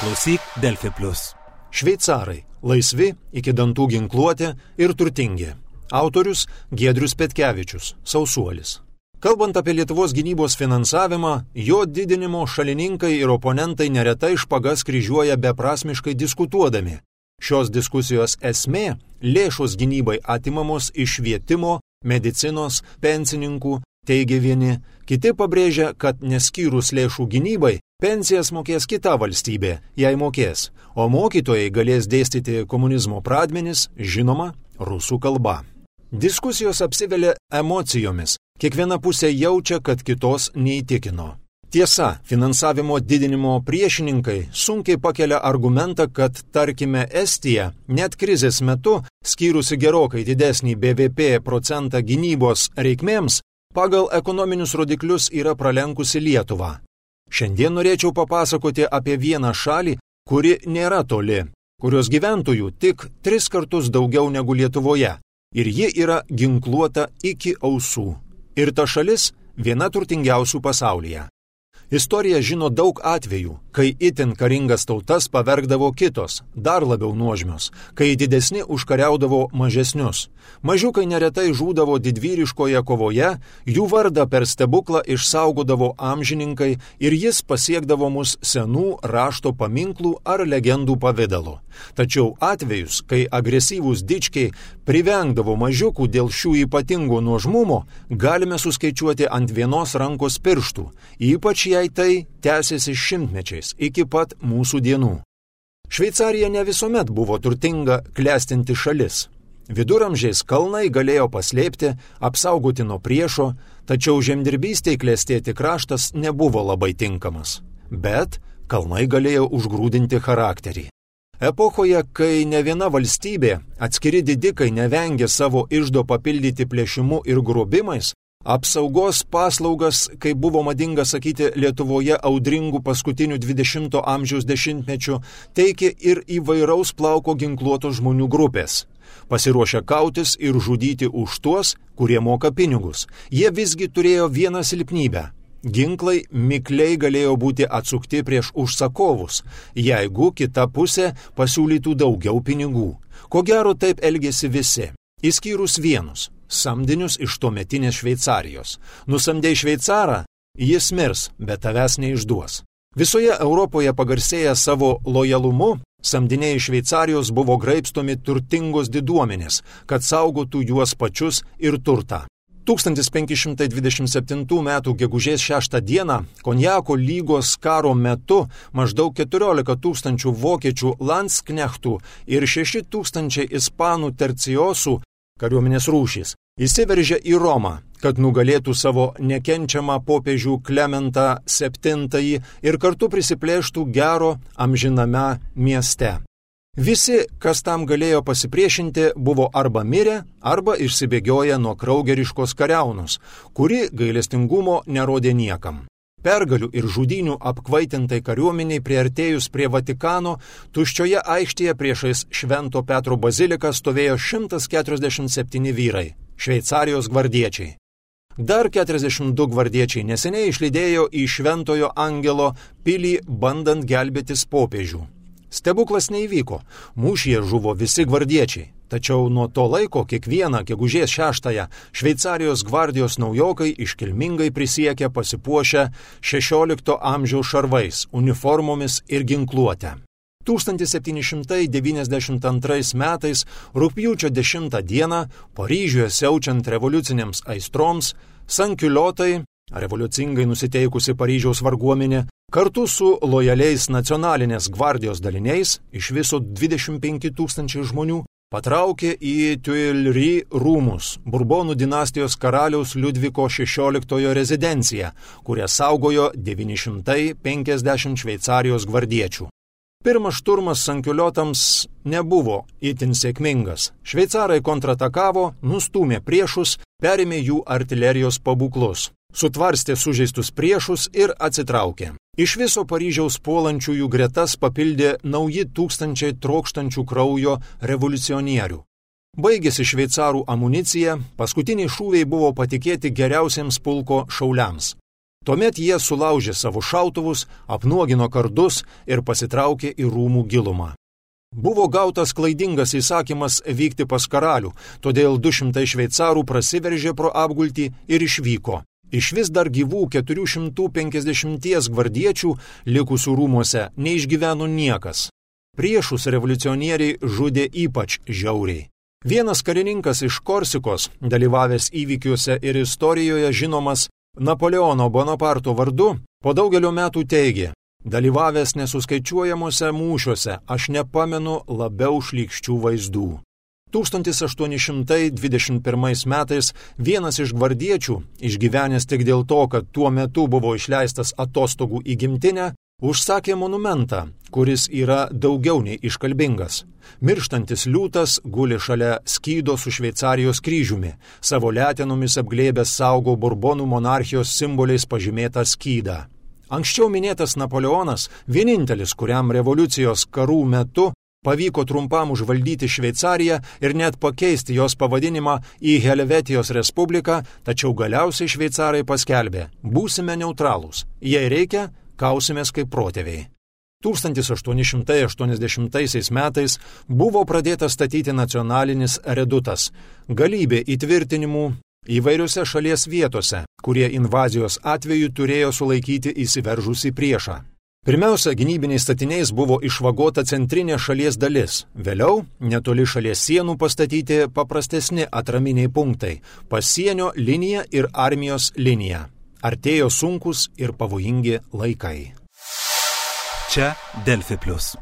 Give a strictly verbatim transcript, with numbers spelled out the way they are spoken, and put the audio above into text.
Klausyk Delfi plius. Šveicarai – laisvi, iki dantų ginkluoti ir turtingi. Autorius Giedrius Petkevičius, Sausuolis. Kalbant apie Lietuvos gynybos finansavimą, jo didinimo šalininkai ir oponentai neretai špagas kryžiuoja beprasmiškai diskutuodami. Šios diskusijos esmė – lėšos gynybai atimamos iš švietimo, medicinos, pensininkų, teigia vieni. Kiti pabrėžia, kad neskyrus lėšų gynybai, pensijas mokės kita valstybė, jei mokės, o mokytojai galės dėstyti komunizmo pradmenis, žinoma, rusų kalba. Diskusijos apsivelia emocijomis. Kiekviena pusė jaučia, kad kitos neįtikino. Tiesa, finansavimo didinimo priešininkai sunkiai pakelia argumentą, kad, tarkime, Estija net krizės metu, skyrusi gerokai didesnį B V P procentą gynybos reikmėms, pagal ekonominius rodiklius yra pralenkusi Lietuvą. Šiandien norėčiau papasakoti apie vieną šalį, kuri nėra toli, kurios gyventojų tik tris kartus daugiau negu Lietuvoje, ir ji yra ginkluota iki ausų. Ir ta šalis viena turtingiausių pasaulyje. Istorija žino daug atvejų, kai itin karingas tautas pavergdavo kitos, dar labiau nuožmios, kai didesni užkariaudavo mažesnius. Mažiukai neretai žūdavo didvyriškoje kovoje, jų vardą per stebuklą išsaugodavo amžininkai ir jis pasiekdavo mus senų rašto paminklų ar legendų pavidalu. Tačiau atvejus, kai agresyvūs dičkiai privengdavo mažiukų dėl šių ypatingų nuožmumo, galime suskaičiuoti ant vienos rankos pirštų, ypač jei tai tęsiasi šimtmečiais iki pat mūsų dienų. Šveicarija ne visuomet buvo turtinga, klestinti šalis. Viduramžiais kalnai galėjo paslėpti, apsaugoti nuo priešo, tačiau žemdirbystei klestėti kraštas nebuvo labai tinkamas. Bet kalnai galėjo užgrūdinti charakterį. Epochoje, kai ne viena valstybė, atskiri didikai nevengė savo iždo papildyti plėšimu ir grobimais, apsaugos paslaugas, kaip buvo madinga sakyti Lietuvoje audringų paskutinių dvidešimto amžiaus dešimtmečių, teikė ir įvairaus plauko ginkluotos žmonių grupės. Pasiruošę kautis ir žudyti už tuos, kurie moka pinigus. Jie visgi turėjo vieną silpnybę. Ginklai mikliai galėjo būti atsukti prieš užsakovus, jeigu kita pusė pasiūlytų daugiau pinigų. Ko gero taip elgėsi visi, išskyrus vienus. Samdinius iš tuometinės Šveicarijos. Nusamdei šveicarą, jis mirs, bet tavęs neišduos. Visoje Europoje pagarsėję savo lojalumu, samdiniai iš Šveicarijos buvo graibstomi turtingos diduomenės, kad saugotų juos pačius ir turtą. tūkstantis penki šimtai dvidešimt septintų metų gegužės šeštą dieną Konjako lygos karo metu maždaug keturiolika tūkstančių vokiečių landsknechtų ir šeši tūkstančiai ispanų terciosų kariuomenės rūšys įsiveržė į Romą, kad nugalėtų savo nekenčiamą popiežių Klementą septintąjį ir kartu prisiplėštų gero amžiname mieste. Visi, kas tam galėjo pasipriešinti, buvo arba mirę, arba išsibėgioję nuo kraugeriškos kariaunos, kuri gailestingumo nerodė niekam. Pergalių ir žudynių apkvaitintai kariuomeniai priartėjus prie Vatikano, tuščioje aikštėje priešais Švento Petro baziliką stovėjo šimtas keturiasdešimt septyni vyrai, Šveicarijos gvardiečiai. Dar keturiasdešimt du gvardiečiai neseniai išlydėjo į Šventojo Angelo pilį bandant gelbėtis popiežių. Stebuklas neįvyko, mūšyje žuvo visi gvardiečiai, tačiau nuo to laiko kiekvieną gegužės šeštąją Šveicarijos gvardijos naujokai iškilmingai prisiekia pasipuošę šešiolikto amžiaus šarvais, uniformomis ir ginkluote. tūkstantis septyni šimtai devyniasdešimt antrais metais rugpjūčio dešimtą dieną Paryžiuje siaučiant revoliucinėms aistroms, sankiuliotai, revoliucingai nusiteikusi Paryžiaus varguomenė, kartu su lojaliais nacionalinės gvardijos daliniais, iš viso dvidešimt penki tūkstančiai žmonių, patraukė į Tuileries rūmus, Burbonų dinastijos karaliaus Liudviko šešioliktojo rezidenciją, kurią saugojo devyni šimtai penkiasdešimt Šveicarijos gvardiečių. Pirmas šturmas sankiuliotams nebuvo itin sėkmingas. Šveicarai kontratakavo, nustūmė priešus, perėmė jų artilerijos pabūklus, sutvarstė sužeistus priešus ir atsitraukė. Iš viso Paryžiaus puolančiųjų gretas papildė nauji tūkstančiai trokštančių kraujo revoliucionierių. Baigėsi šveicarų amunicija, paskutiniai šūviai buvo patikėti geriausiems pulko šauliams. Tuomet jie sulaužė savo šautuvus, apnuogino kardus ir pasitraukė į rūmų gilumą. Buvo gautas klaidingas įsakymas vykti pas karalių, todėl du šimtai šveicarų prasiveržė pro apgultį ir išvyko. Iš vis dar gyvų keturi šimtai penkiasdešimt gvardiečių likusių rūmuose neišgyveno niekas. Priešus revoliucionieriai žudė ypač žiauriai. Vienas karininkas iš Korsikos, dalyvavęs įvykiuose ir istorijoje žinomas Napoleono Bonaparto vardu, po daugelio metų teigė: dalyvavęs nesuskaičiuojamuose mūšiuose, aš nepamenu labiau šlykščių vaizdų. tūkstantis aštuoni šimtai dvidešimt pirmais metais vienas iš gvardiečių, išgyvenęs tik dėl to, kad tuo metu buvo išleistas atostogų į gimtinę, užsakė monumentą, kuris yra daugiau nei iškalbingas. Mirštantis liūtas guli šalia skydo su Šveicarijos kryžiumi, savo letenomis apglėbęs saugo Burbonų monarchijos simboliais pažymėtą skydą. Anksčiau minėtas Napoleonas, vienintelis, kuriam revoliucijos karų metu pavyko trumpam užvaldyti Šveicariją ir net pakeisti jos pavadinimą į Helvetijos Respubliką, tačiau galiausiai šveicarai paskelbė: būsime neutralūs, jei reikia, kausimės kaip protėviai. tūkstantis aštuoni šimtai aštuoniasdešimtaisiais metais buvo pradėtas statyti nacionalinis redutas, galybė įtvirtinimų įvairiose šalies vietose, kurie invazijos atveju turėjo sulaikyti įsiveržusį priešą. Pirmiausia, gynybiniais statiniais buvo išvagota centrinė šalies dalis, vėliau netoli šalies sienų pastatyti paprastesni atraminiai punktai – pasienio linija ir armijos linija. Artėjo sunkus ir pavojingi laikai. Čia Delfi plius.